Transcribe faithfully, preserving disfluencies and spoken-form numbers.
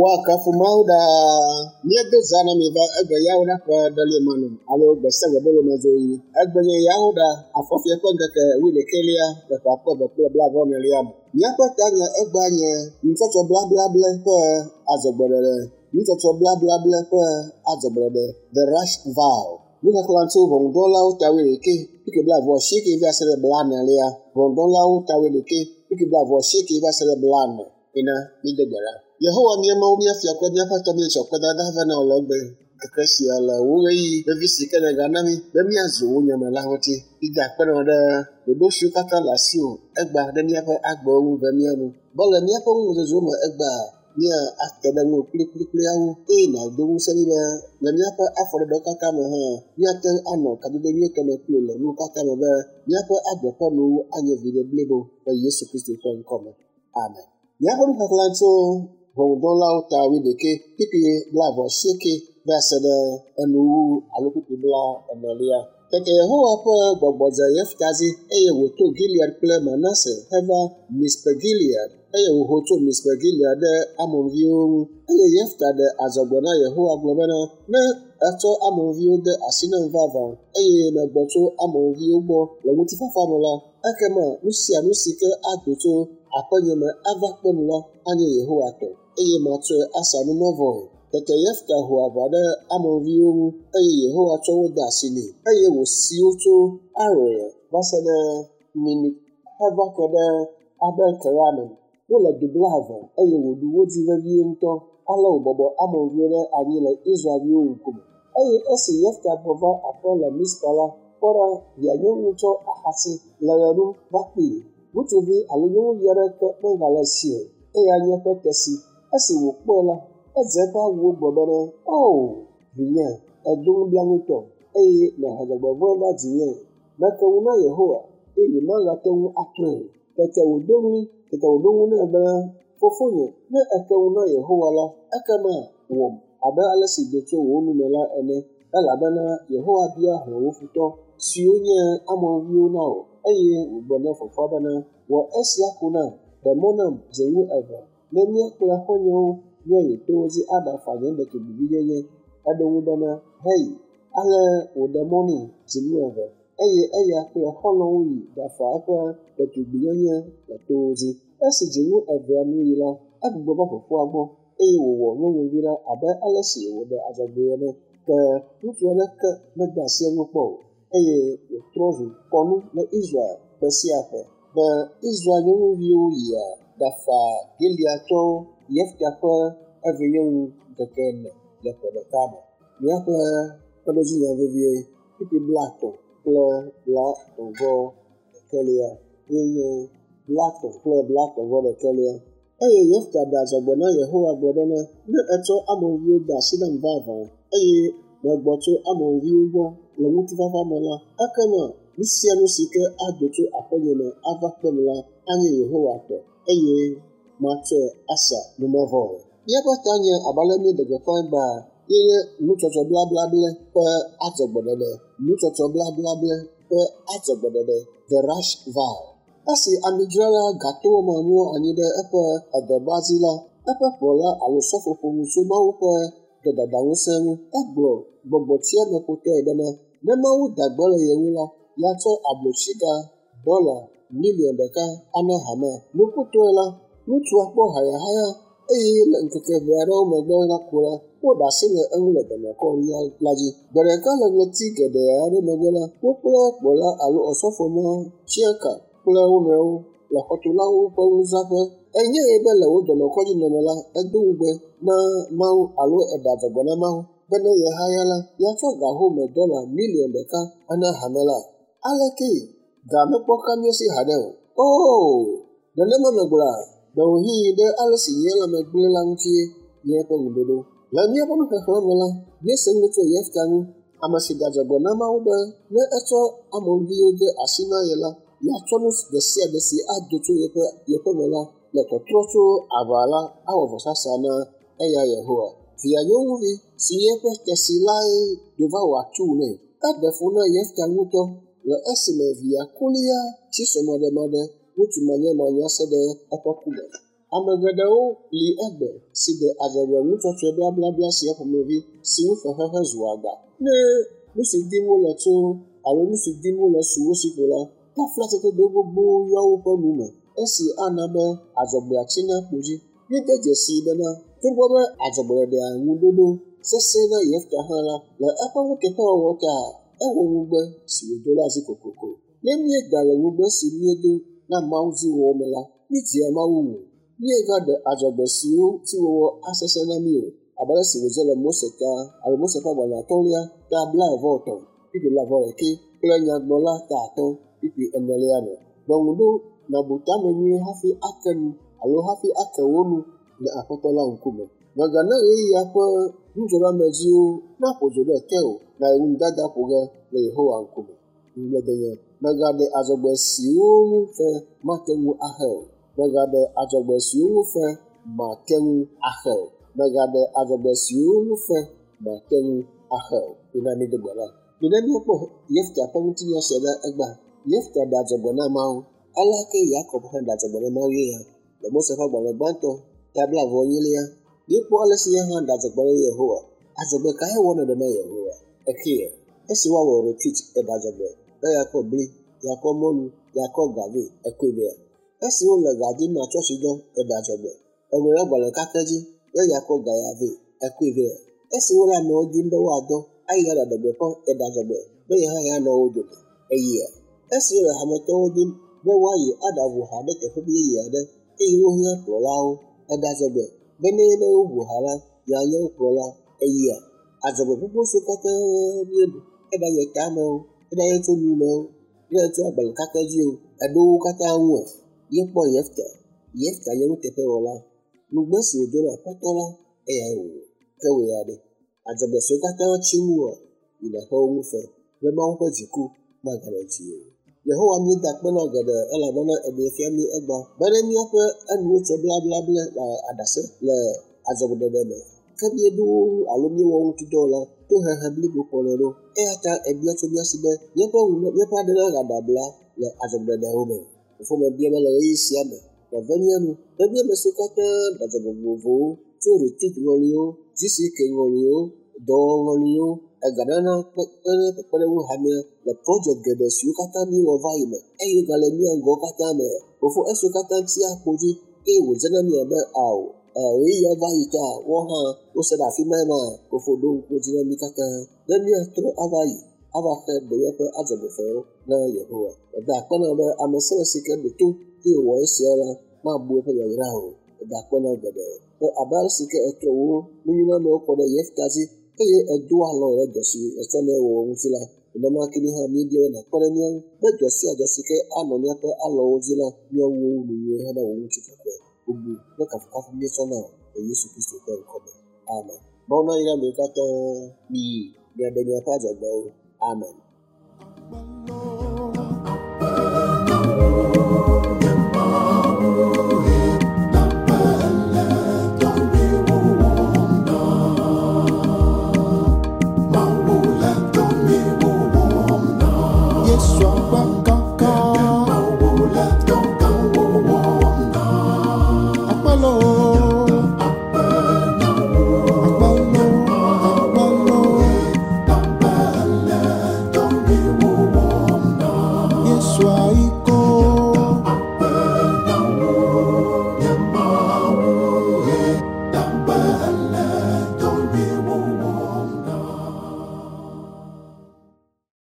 Woakafu Mawu ɖaa. Míedo zã na mi va egbe yawo ɖa ƒe ɖeliamanu alo gbe sia gbe bolomedzoɣi. Egbe nye yawo ɖa afɔfia ƒe ŋkeke wuiɖekɛlia le ƒe akpe eve kple blaeve-vɔ-enelia me. Míaƒe tanya egbea nye nutsɔtsɔ blablable ƒe adzɔgbeɖeɖe. Nutsɔtsɔ blablable ƒe adzɔgbeɖeɖe. The Rash Vow. Nuxexlẽ tso ʋɔnudrɔ̃lawo ta wuiɖekɛ, kpukpui blaeve-vɔ-asieke va se ɖe blaenelia. Ʋɔnudrɔ̃lawo ta wuiɖekɛ, kpukpui blaeve-vɔ-asieke va se ɖe blaene. Ena mído gbe ɖa. Yehowa mía Mawu mía fia kple míaƒe Aƒetɔ míetsɔ kpedada vɛ na wò le egbe ŋkeke sia le wò ɣeyiɣi vevi si ke nègana mí be míazu wò nyame la ŋuti. Mída akpe na wò ɖe ɖoɖo siwo katã le asiwò egbea ɖe míaƒe agbewo ŋu be mía nu. Be le míaƒe numezozowo me egbea, mía ate ɖe ŋuwò kplikplikpliawo eye nàdo ŋusẽ mí be le míaƒe afɔɖeɖewo katã me hã míate ŋu anɔ kadodo nyuietɔ me kpli wò le nuwo katã me be míaƒe agbe ƒe nuwo anye viɖe blibo le Yesu Kristo ƒe ŋkɔ me. Amen. Míaƒe nuxexlẽ tso ʋɔnudrɔ̃lawo ta wuiɖekɛ, kpukpui blaeve-vɔ-asieke va se ɖe enuwuwu alo kpukpui blaenelia. Tete Yehowa ƒe gbɔgbɔ dze Yefta dzi eye wòto Gilead kple Manase heva Mizpe Gilead eye wòho tso Mizpe Gilead ɖe Amonviwo ŋu. Eye Yefta ɖe adzɔgbe na Yehowa gblɔ bena, ne ètsɔ Amonviwo de asi nam vavã eye megbɔ tso Amonviwo gbɔ le ŋutifafa me la, ekema nu sia nu si ke ado tso aƒenye me ava kpem la anye Yehowa tɔ eye matsɔe asa numevɔe. Tete Yefta ho aʋa ɖe Amonviwo ŋu eye Yehowa tsɔ wo de asi nɛ eye wòsi wo tso Aroer va se ɖe Minit heva ke ɖe Abel Keramim. Wole du blaeve eye wòɖu wo dzi vevie ŋutɔ. Ale wòbɔbɔ Amonviwo ɖe anyi le Israelviwo ŋkume. Eye esi Yefta gbɔ va aƒe le Mizpa la, kpɔ ɖa, via nyɔnu tsɔ axasi le ɣe ɖum va kpee. Ŋutsuvi alo nyɔnuvi aɖeke megale esi o, eya nye eƒe tesi. Esi wòkpɔe la, edze eƒe awuwo gblɔ bena, "Oo, vinye, èdo nublanuitɔ eye nèhe dzɔgbevɔ̃e va dzinye. Meke ŋu na Yehowa eye nyemagate ŋu atrɔe o." Tete wòdo ɣli, tete wòɖo ŋu nɛ bena, "Fofonye, ne èke ŋu na Yehowa la, ekema wɔm abe ale si do tso wò nu me la ene, elabena Yehowa bia hlɔ̃ wò futɔ siwo nye Amonviwo na wò." Eye wògblɔ na fofoa bena, "Wɔ esia ko nam, ɖe mɔ nam dzinu eve, ne mía kple xɔ̃nyewo míayi towo dzi aɖafa nye ɖetugbivinyenye." Eɖo eŋu bena, "Heyi." Ale wòɖe mɔ nɛ dzinu eve, eye eya kple xɔlɔ̃wo yi ɖafa eƒe ɖetugbinyenye le towo dzi. Esi dzinu evea nu yi la, egbugbɔ va fofoa gbɔ eye wòwɔ nyɔnuvi la abe ale si wòɖe adzɔgbee ene. Ke ŋutsu aɖeke mede asi eŋu kpɔ o, eye wòtrɔ zu kɔnu le Israel ƒe sia ƒe be Israel nyɔnuviwo yia ɖafa Gileadtɔwo Yefta ƒe evinyɔnu ŋkeke ene le ƒe ɖeka me. Míaƒe kpeɖodzinya vevie kpukpui blaetɔ̃ kple blaetɔ̃-vɔ-ɖekɛlia ye nye blaetɔ̃ kple blaetɔ̃-vɔ-ɖekɛlia. Eye Yefta ɖe adzɔgbe na Yehowa gblɔ bena, ne ètsɔ Amonviwo de asi nam vavã eye megbɔ tso Amonviwo gbɔ le ŋutifafa me la, ekema nu sia nu si ke ado tso aƒenye me ava kpem la anye Yehowa tɔ eye matsɔe asa numevɔe. Míaƒe tanya abe ale míeɖe gbeƒã egbea ye nye nutsɔtsɔ blablable ƒe adzɔgbeɖeɖe. Nutsɔtsɔ blablable ƒe adzɔgbeɖeɖe. The Rash Vow. Esi amidzrala gatowɔ ma mlɔ anyi ɖe eƒe edɔba dzi la, eƒe kplɔla alo sɔfo ƒo nu tso Mawu ƒe dɔdadaŋusẽ ŋu. Egblɔ gbɔgbɔtsiameƒotɔe bena, ne Mawu da gbe le ye ŋu la, yeatsɔ ablotsiga dɔla miliɔn ɖeka ana hamea. Nukutɔe la, ŋutsua kpɔ hayahaya eye le ŋkeke ʋɛ aɖewo megbe la ko la, woɖe asi le eŋu le dɔnɔkɔdzi la dzi. Gbe ɖeka le ɣleti geɖe aɖewo megbe la, wo kple kplɔla alo osɔfo ma tsiã ka kple wo nɔewo le xɔtulawo ƒe nuzãƒe. Enyae be le wò dɔnɔkɔdzi nɔnɔ la, edo ŋugbe na Mawu alo eɖe adzɔgbe na Mawu be ne yehaya la, yeatsɔ ga home dɔla miliɔn ɖeka ana hame la. Alekee? Ga mekpɔ ka mía si haɖe o. Oo, nenema megblɔa, ɖewohĩ ɖe ale si nye lãme gblẽ la ŋutie nye eƒe ŋuɖoɖo. Le míaƒe nuxexlẽ me la, míese nu tso Yefta ŋu, ame si ɖe adzɔgbe na Mawu be ne etsɔ Amonviwo de asi na ye la, yeatsɔ nu ɖe sia ɖe si ado tso yeƒe yeƒe me la le tɔtrɔ tso aʋa la awɔ vɔsasa na eya Yehowa. Via nyɔnuvi si nye eƒe tesi lae do va wɔ atuu nɛ. Eɖe fu na Yefta ŋutɔ le esime via kulia tsi srɔ̃maɖemaɖe ŋutsu manyamanya se ɖe eƒe ku me. Ame geɖewo li egbe si ɖe adzɔgbe nutsɔtsɔe blablabla sia ƒomevi si ŋu fexexe zu agba. Ne nu si dim wole tso alo nu si dim wole su wo si ko la, taflatsedodo gbogbowo yɔ woƒe nu me esi ana be adzɔgbea tsina kpo dzi. Míede dzesii bena togbɔ be adzɔgbeɖeɖea ŋuɖoɖo sesẽ na Yefta hã la, le eƒe nuteƒewɔwɔ ta ewɔ ŋugbe si wòdo la dzi kokoko. Ne míeda le ŋugbe si míedo na Mawu dzi wɔwɔ me la, míedzea Mawu ŋu. Míegaɖe adzɔgbe siwo dzi wɔwɔ asesẽ na mí o, abe ale si wòdze le Mose ta alo Mose ƒe agbalẽ atɔ̃lia ta blaeve-vɔ-etɔ̃, kpukpui blaeve-vɔ-ɖekɛ kple Nyagblɔla ta atɔ̃, kpukpui enelia me. Ɖɔ ŋu ɖo nàbu tame nyuie hafi ake nu alo hafi ake wò nu le Aƒetɔ la ŋkume. Mègana ɣeyiɣia ƒe nudzɔɖeamedziwo naƒo dzo ɖe tewò nàyi ŋudada ƒo ge le Yehowa ŋkume. Ŋugbledenye. Mègaɖe adzɔgbe siwo ŋu fe mate ŋu axe o. Mègaɖe adzɔgbe siwo ŋu fe mate ŋu axe o. Mègaɖe adzɔgbe siwo ŋu fe mate ŋu axe o. Mina mído gbe ɖa. Mina míakpɔ Yefta ƒe ŋutinya sia ɖa egbea. Yefta ɖe adzɔgbe na Mawu. Aleke Yakob hã ɖe adzɔgbe na Mawu ye ya? Le Mose ƒe agbalẽ gbãtɔ ta blaeve-vɔ-enyilia, míekpɔ ale si ye hã ɖe adzɔgbe na Yehowa. Adzɔgbe kae wɔm nèɖe na Yehowa? Ekea, esi woawɔ retreat eɖe adzɔgbe be yeakɔ bli, yeakɔ mɔlu, yeakɔ ga vɛ, ekɔe vɛa? Esi wole ga dim na tsɔtsidɔ eɖe adzɔgbe, eŋlɔ ɖe agbalẽ kakɛ dzi be yeakɔ ga ya vɛ, ekɔe vɛa? Esi wole amewo dim be woadɔ ayi aɖaɖe gbeƒã eɖe adzɔgbe be ye hã yeanɔ wo dome, eyia? Esi wole hametɔwo dim be woayi aɖaʋu ha ɖe teƒe yeye aɖe eye wohiã kplɔlawo, eɖe adzɔgbe be ne be woʋu ha la, yeanye wo kplɔla, eyia? Adzɔgbe gbogbo siwo katã míeɖu, eɖanye tame o, eɖanye tso nu me o, eɖanye tso agbalẽ kakɛ dzi o, eɖo wo katã ŋua? Míekpɔ Yefta. Yefta nye nuteƒewɔla. Ŋugbe si wòdo na Aƒetɔ la, eyae wòwɔ. Ke wò ya ɖe? Adzɔgbe siwo katã tsi ŋuwòa, yi nàxe wo ŋu fe be Mawu ƒe dziku maganɔ dziwò o. Yehowa míeda akpe na wò geɖe elabena eɖee fia mí egbea be ne míaƒe enuwo tsɔ blablabla le aɖase le adzɔgbeɖeɖe me ke míeɖo wo ŋu alo míewɔ wo ŋuti dɔ o la, tohehe blibo kplɔnɛ ɖo. Eya ta ebia tso mía si be míaƒe ŋu míaƒe aɖe nagaɖe abla le adzɔgbeɖeɖewo me. Fofo mebia be le ɣeyiɣi sia me nàve mía nu be mía ame siwo katã ɖe adzɔgbe vovovowo tso retreat ŋɔliwo, G C K ŋɔliwo, dɔwɔŋɔliwo, eganana kpekpe kpekpeɖeŋu hamea le project geɖe siwo katã míewɔ va yi me eye wogale mía ŋgɔ katã me. Fofo esiwo katã tsia kpo dzi eye wòdze na mí abe ao ɣeyiɣia va yi ta woawo hã wose ɖe afi ma ma fofo ɖo ŋku dzi na mí katã be míatrɔ ava yi ava xe ɖe míaƒe adzɔgbefewo na Yehowa. Meda akpe na wò be ame sia ame si ke ɖo to eye wòwɔ esia la mabu eƒe yayra o. Meda akpe na wò geɖe be abe ale si ke etrɔ wò nunyunamewo kɔ ɖe Yefta dzi eye edo alɔ ɖe dɔ si etsɔ nɛ wɔwɔ ŋuti la, nenema ke mí hã míebia be nàkpe ɖe mía ŋu be dɔ sia dɔ si ke anɔ míaƒe alɔwo dzi la, míawu wo nu nyuie hena wò ŋutikɔkɔe. Bubu kple kafukafu míetsɔ na wò le Yesu Kristo ƒe ŋkɔ me. Amen. Mawu nayra mi katã. Miyi miaɖe miaƒe adzɔgbewo. Amen. Yesu akpa kaka. Akpalo. Akpalo, akpalo. Yesu ayi.